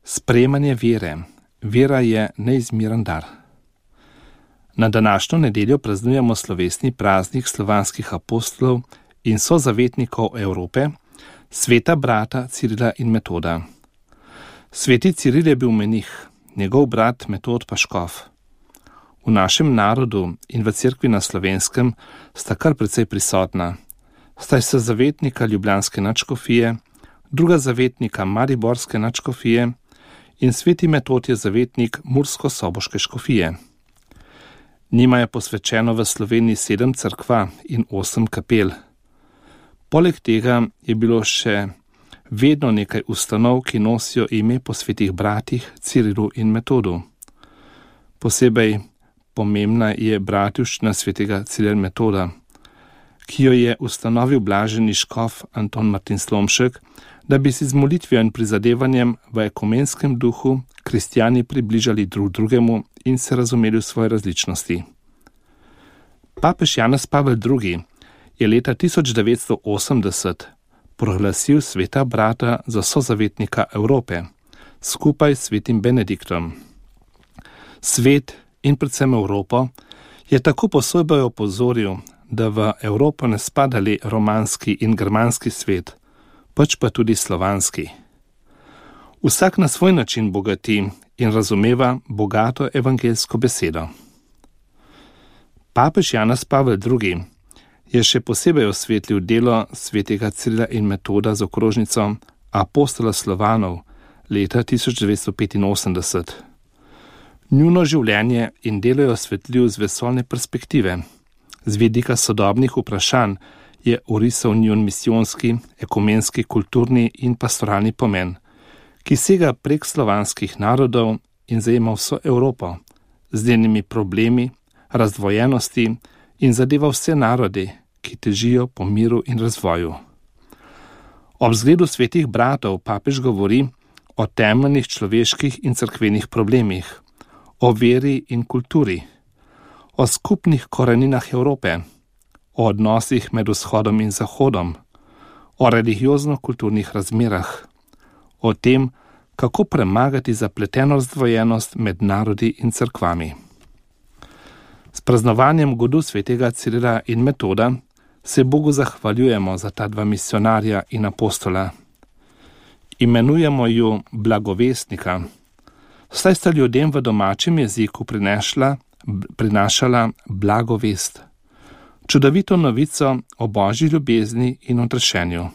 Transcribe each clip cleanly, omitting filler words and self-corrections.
Sprejemanje vere. Vera je neizmeren dar. Na današnjo nedeljo praznujemo slovesni praznik slovanskih apostolov in sozavetnikov Evrope, sveta brata Cirila in Metoda. Sveti Ciril je bil menih, njegov brat Metod pa škof. V našem narodu in v cerkvi na Slovenskem sta kar precej prisotna. Sta se zavetnika ljubljanske nadškofije, druga zavetnika mariborske nadškofije in sveti Metod je zavetnik mursko-soboške škofije. Njima je posvečeno v Sloveniji 7 cerkva in 8 kapel. Poleg tega je bilo še vedno nekaj ustanov, ki nosijo ime po svetih bratih Cirilu in Metodu. Posebej pomembna je bratovščina svetega Cirila in Metoda, ki jo je ustanovil blaženi škof Anton Martin Slomšek, da bi si z molitvijo in prizadevanjem v ekumenskem duhu kristjani približali drug drugemu in se razumeli v svoje različnosti. Papež Janez Pavel II. Je leta 1980 proglasil sveta brata za sozavetnika Evrope, skupaj s svetim Benediktom. Svet in predvsem Evropo je tako posebej opozoril, da v Evropo ne spada le romanski in germanski svet, pač pa tudi slovanski. Vsak na svoj način bogati in razumeva bogato evangeljsko besedo. Papež Janez Pavel II. Je še posebej osvetlil delo svetega Cirila in Metoda z okrožnico Apostola Slovanov leta 1985. Njuno življenje in delo je osvetlil z vesoljne perspektive. Z vidika sodobnih vprašanj je orisal njun misijonski, ekumenski, kulturni in pastoralni pomen, ki sega prek slovanskih narodov in zajema vso Evropo, z njenimi problemi, razdvojenosti in zadeva vse narodi, ki težijo po miru in razvoju. Ob zgledu svetih bratov papež govori o temeljnih človeških in cerkvenih problemih, o veri in kulturi, o skupnih koreninah Evrope, o odnosih med vzhodom in zahodom, o religiozno-kulturnih razmerah, o tem, kako premagati zapleteno razdvojenost med narodi in cerkvami. S praznovanjem godu svetega Cirila in Metoda se Bogu zahvaljujemo za ta dva misionarja in apostola. Imenujemo ju blagovestnika, saj sta ljudem v domačem jeziku prinašala blagovest, čudovito novico o Božji ljubezni in odrešenju.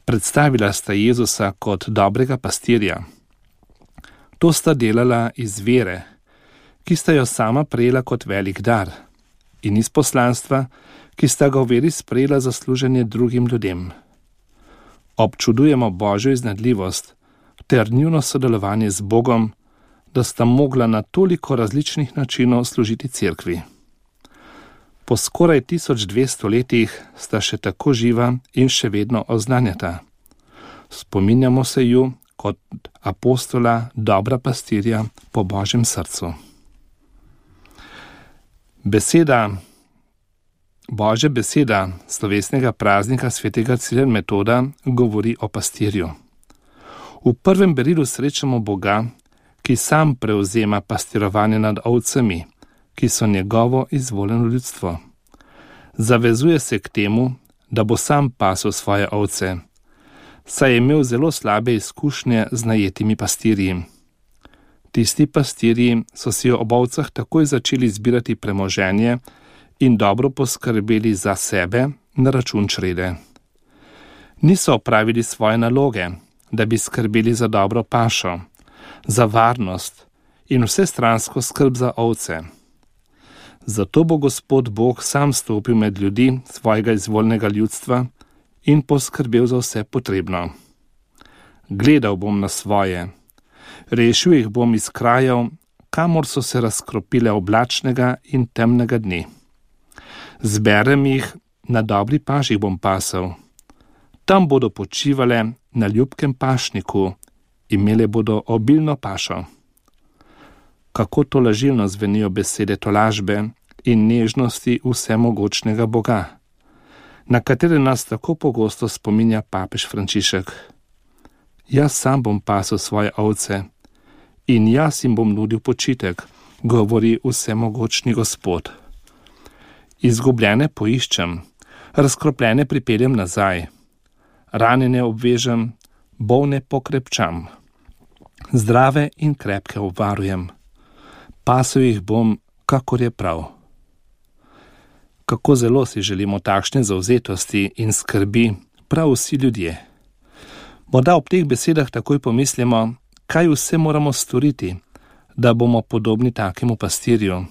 Predstavila sta Jezusa kot dobrega pastirja. To sta delala iz vere, ki sta jo sama prejela kot velik dar, in iz poslanstva, ki sta ga v veri sprejela za služenje drugim ljudem. Občudujemo Božjo iznajdljivost ter njuno sodelovanje z Bogom, da sta mogla na toliko različnih načinov služiti cerkvi. Po skoraj 1200 letih sta še tako živa in še vedno oznanjata. Spominjamo se ju kot apostola, dobra pastirja po Božjem srcu. Božja beseda slovesnega praznika svetega Cirila in Metoda govori o pastirju. V prvem berilu srečamo Boga, ki sam prevzema pastirovanje nad ovcami, ki so njegovo izvoljeno ljudstvo. Zavezuje se k temu, da bo sam pasel svoje ovce, saj je imel zelo slabe izkušnje z najetimi pastirji. Tisti pastirji so si ob ovcah takoj začeli zbirati premoženje in dobro poskrbeli za sebe na račun črede. Niso opravili svoje naloge, da bi skrbeli za dobro pašo, za varnost in vsestransko skrb za ovce. Zato bo Gospod Bog sam stopil med ljudi svojega izvoljnega ljudstva in poskrbel za vse potrebno. Gledal bom na svoje, rešil jih bom iz krajev, kamor so se razkropile oblačnega in temnega dne. Zberem jih, na dobri paši bom pasel. Tam bodo počivale na ljubkem pašniku, imele bodo obilno pašo. Kako tolažilno zvenijo besede tolažbe in nežnosti vsemogočnega Boga, na katere nas tako pogosto spominja papež Frančišek. Jaz sam bom pasel svoje ovce in jaz jim bom nudil počitek, govori vsemogočni Gospod. Izgubljene poiščem, razkropljene pripeljem nazaj, ranjene obvežem, bolne pokrepčam, zdrave in krepke obvarujem, pasel jih bom, kakor je prav. Kako zelo si želimo takšne zavzetosti in skrbi prav vsi ljudje. Morda ob teh besedah takoj pomislimo, kaj vse moramo storiti, da bomo podobni takemu pastirju.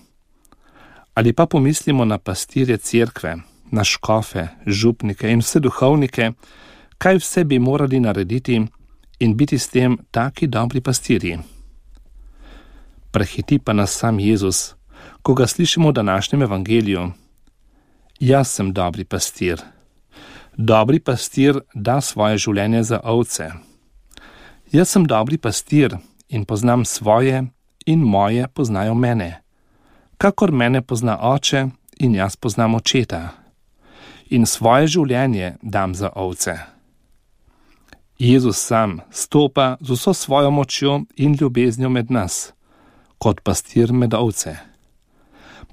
Ali pa pomislimo na pastirje cerkve, na škofe, župnike in vse duhovnike, kaj vse bi morali narediti in biti s tem taki dobri pastirji. Prehiti pa nas sam Jezus, ko ga slišimo v današnjem evangeliju. Jaz sem dobri pastir. Dobri pastir da svoje življenje za ovce. Jaz sem dobri pastir in poznam svoje in moje poznajo mene. Kakor mene pozna oče in jaz poznam očeta. In svoje življenje dam za ovce. Jezus sam stopa z vso svojo močjo in ljubeznijo med nas, kot pastir med ovce.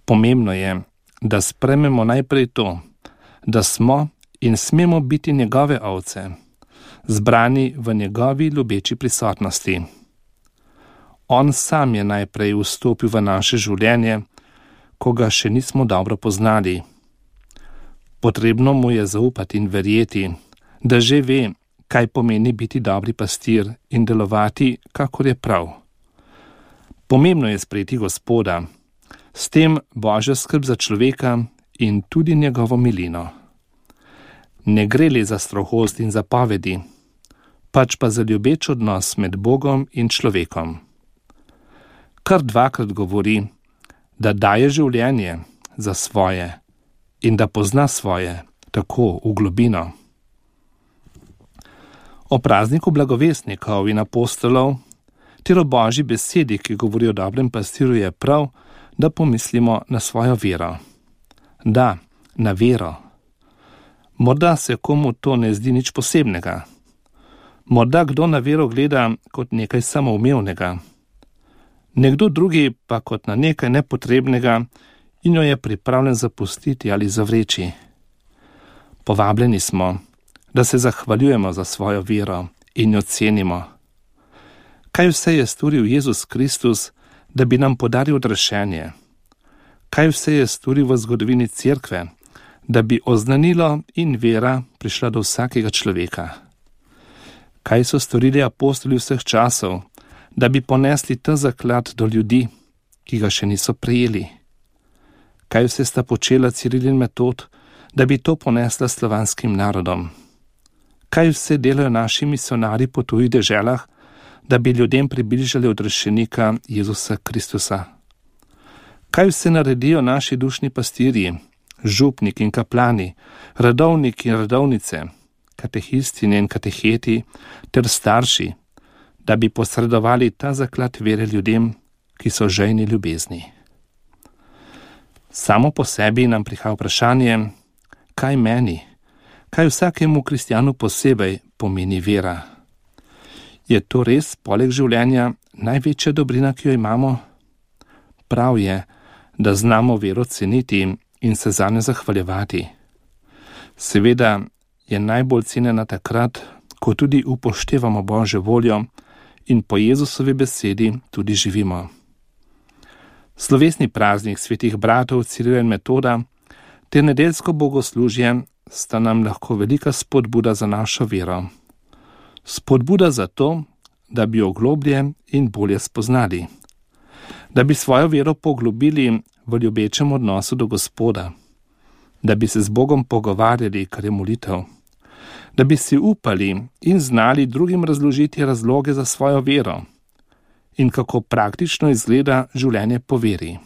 Pomembno je, da sprememo najprej to, da smo in smemo biti njegove ovce, zbrani v njegovi ljubeči prisotnosti. On sam je najprej vstopil v naše življenje, ko ga še nismo dobro poznali. Potrebno mu je zaupati in verjeti, da že ve, kaj pomeni biti dobri pastir in delovati, kakor je prav. Pomembno je sprejeti Gospoda, s tem Božjo skrb za človeka in tudi njegovo milino. Ne gre le za strohost in zapovedi, pač pa za ljubeč odnos med Bogom in človekom. Kar dvakrat govori, da daje življenje za svoje in da pozna svoje, tako v globino. O prazniku blagovestnikov in apostolov ter o Božji besedi, ki govori o dobrem pastiru, je prav, da pomislimo na svojo vero. Da, na vero. Morda se komu to ne zdi nič posebnega. Morda kdo na vero gleda kot nekaj samoumevnega. Nekdo drugi pa kot na nekaj nepotrebnega in jo je pripravljen zapustiti ali zavreči. Povabljeni smo, da se zahvaljujemo za svojo vero in jo cenimo. Kaj vse je storil Jezus Kristus, da bi nam podaril odrešenje? Kaj vse je storil v zgodovini cerkve, da bi oznanilo in vera prišla do vsakega človeka? Kaj so storili apostoli vseh časov, da bi ponesli ta zaklad do ljudi, ki ga še niso prejeli? Kaj vse sta počela Ciril in Metod, da bi to ponesla slovanskim narodom? Kaj vse delajo naši misionarji po tujih deželah, da bi ljudem približali odrešenika Jezusa Kristusa? Kaj vse naredijo naši dušni pastirji, župniki in kaplani, redovniki in redovnice, katehistine in kateheti ter starši, da bi posredovali ta zaklad vere ljudem, ki so žejni ljubezni? Samo po sebi nam prihaja vprašanje, kaj meni, kaj vsakemu kristjanu posebej pomeni vera? Je to res poleg življenja največja dobrina, ki jo imamo? Prav je, da znamo vero ceniti in se zanjo zahvaljevati. Seveda je najbolj cenjena takrat, ko tudi upoštevamo Božjo voljo in po Jezusovi besedi tudi živimo. Slovesni praznik svetih bratov Cirila in Metoda ter nedeljsko bogoslužje sta nam lahko velika spodbuda za našo vero. Spodbuda za to, da bi jo globlje in bolje spoznali, da bi svojo vero poglobili v ljubečem odnosu do Gospoda, da bi se z Bogom pogovarjali, kar je molitev, da bi si upali in znali drugim razložiti razloge za svojo vero in kako praktično izgleda življenje po veri.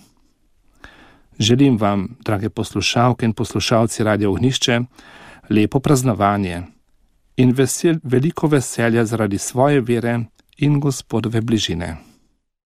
Želim vam, drage poslušalke in poslušalci Radia Ognjišče, lepo praznovanje in veliko veselja zaradi svoje vere in Gospodove bližine.